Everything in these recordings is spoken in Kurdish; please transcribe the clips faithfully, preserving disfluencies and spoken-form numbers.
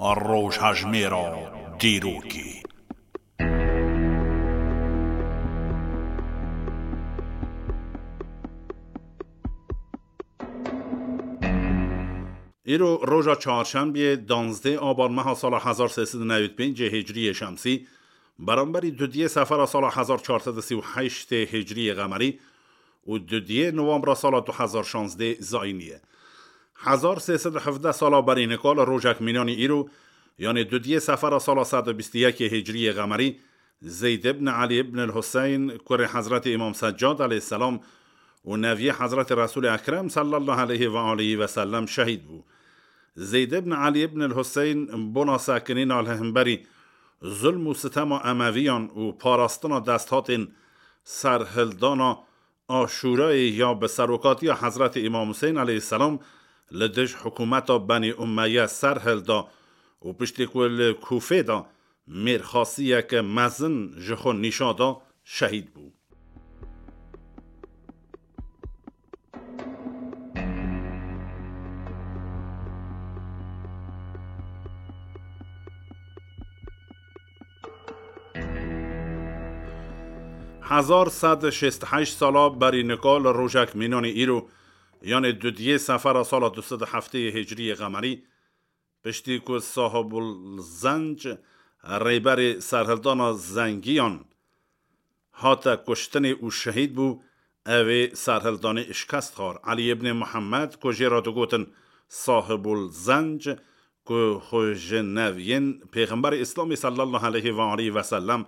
Rojhejmêra dîrokê. Îro roja çarşembiyê, danzdeh aban meha sala hezar sê sed û newî pêncê hicriyê şemsî, beramberî dudiyê sefera sala hezar çar sed û sî û heştê hicriyê qemerî û dudiyê novembra sala du hezar şazdeh zayînî ye. Hezar sê sed û hevdeh sala berî nika li rojek mînanî îro, yanê dudiyê sefera sala sed û bîst û yekê hicriyê qemerî, Zeyd ibn Elî ibn el-Huseyn, kurê Hezretî Îmam Seccad aleyhisselam û neviyê Hezretî Resûlê Ekrem sallallahu aleyhi ve aleyhi ve sellem şehîd bû. Zeyd ibn Elî ibn el-Huseyn bona sekinîna li hemberî zulm û sitema Emeviyan û parastina desthatên serhildana Aşûrayê ya bi serokatiya Hezretî Îmam Huseyn aleyhisselam li dij hikûmeta Benî Ummeye ser hilda û piştî ku li Kûfê de mêrxasiyeke mezin ji xwe nîşa da, şehîd bû. Hezar sed û şêst û heşt sala berî nika li rojek mînanî îro, yanê dudiyê sefera sala du sed û heftê hicriyê qemerî, piştî ku Sahibul Zenc, rêberê serhildana Zengiyan, hate kuştinê û şehîd bû, ew ê serhildanê şikest xwar. Elî ibnê Muhammed, ku jê re digotin Sahibul Zenc, ku xwe ji neviyên Pêxemberê Îslamê sallallahu aleyhi ve aleyhi ve sellem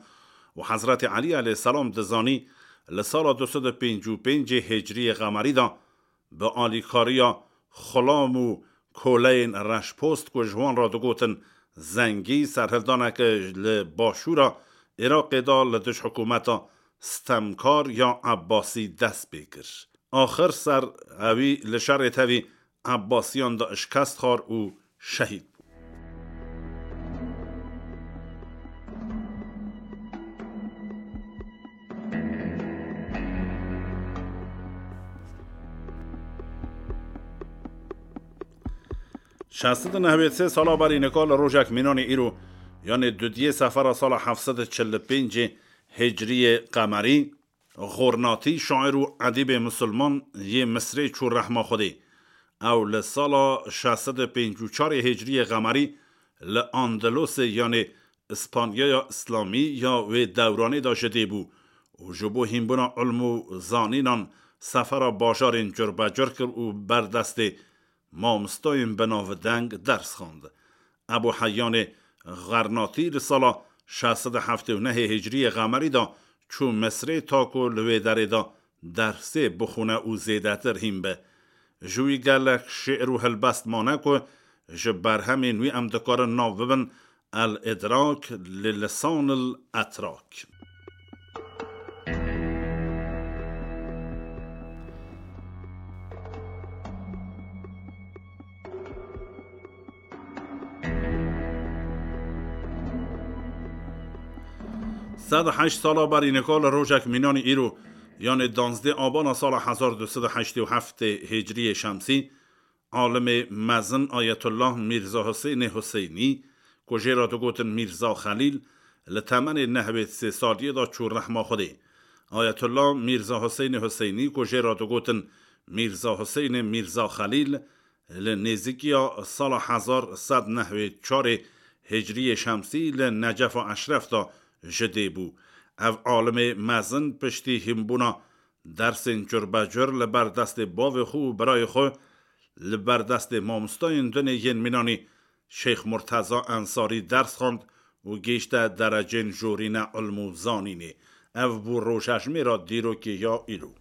û Hezretî Elî aleyhisselam dizanî, li sala du sed û pêncî û pêncê hicriyê qemerî de bi alîkariya xulam û koleyên reşpost, ku ji wan re digotin Zengî, serhildaneke li başûra Iraqê de li dij hikûmeta stemkar ya Ebbasî dest pê kir. Axir ser ewî li şerê tevî Ebbasiyan de şikest xwar û şehîd bû. Şeş sed û nehwê sê sala berî nika li rojek mînanê îro, yanê dudiyê sefera sala heft sed û çil û pêncê hicriyê qemerî, Xornatî, şair û edîbê misilman yê Misrê çû rehma Xwedê. Ew li sala şeş sed û pêncî û çarê hicriyê qemerî li Andalusê, yanê Îspanyaya Îslamî ya wê dewranê de ji dê bû û ji bo hînbûna ilm û zanînan sefera bajarên curbecur kir û ber destê mamostayên bi navdeng ders xwend. Ebû Heyyanê Xernatî li sala şeş sed û heftê û nehê hicriyê qemerî de çû Misrê, ta ku li wê derê de dersê bixwine û zêdetir hîn be. Ji wî gelek şi'r û helbest mane ku ji berhemên wî em dikarin nav bibin El-Îdrak li Lisanil Etrak. Sed û heşt sala berî nika li rojek mînanî îro, yanê danzdê abana sala hezar du sed û heştê û heftê hicriyê şemsî, alimê mezin Ayetullah Mîrza Huseynê Huseynî, ku jê re digotin Mîrza Xelîl, li temenê nehwê sê saliyê de çû rehma Xwedê. Ayetullah Mîrza Huseynê Huseynî, ku jê re digotin Mîrza Huseynê Mîrza Xelîl, li nêzîkiya sala hezar sed nehwê çarê hicriyê şemsî li Necefa Eşref de ji dê bû. Ev alimê mezin piştî hînbûna dersên curbecur li ber destê bavê xwe û birayê xwe, li ber destê mamostayên dinê yên mînanî Şeyx Murteza Ensarî ders xwend û gihîşte derecên jorîne ilm û zanînê. Ev bû rojhejmêra dîrokê ya îro.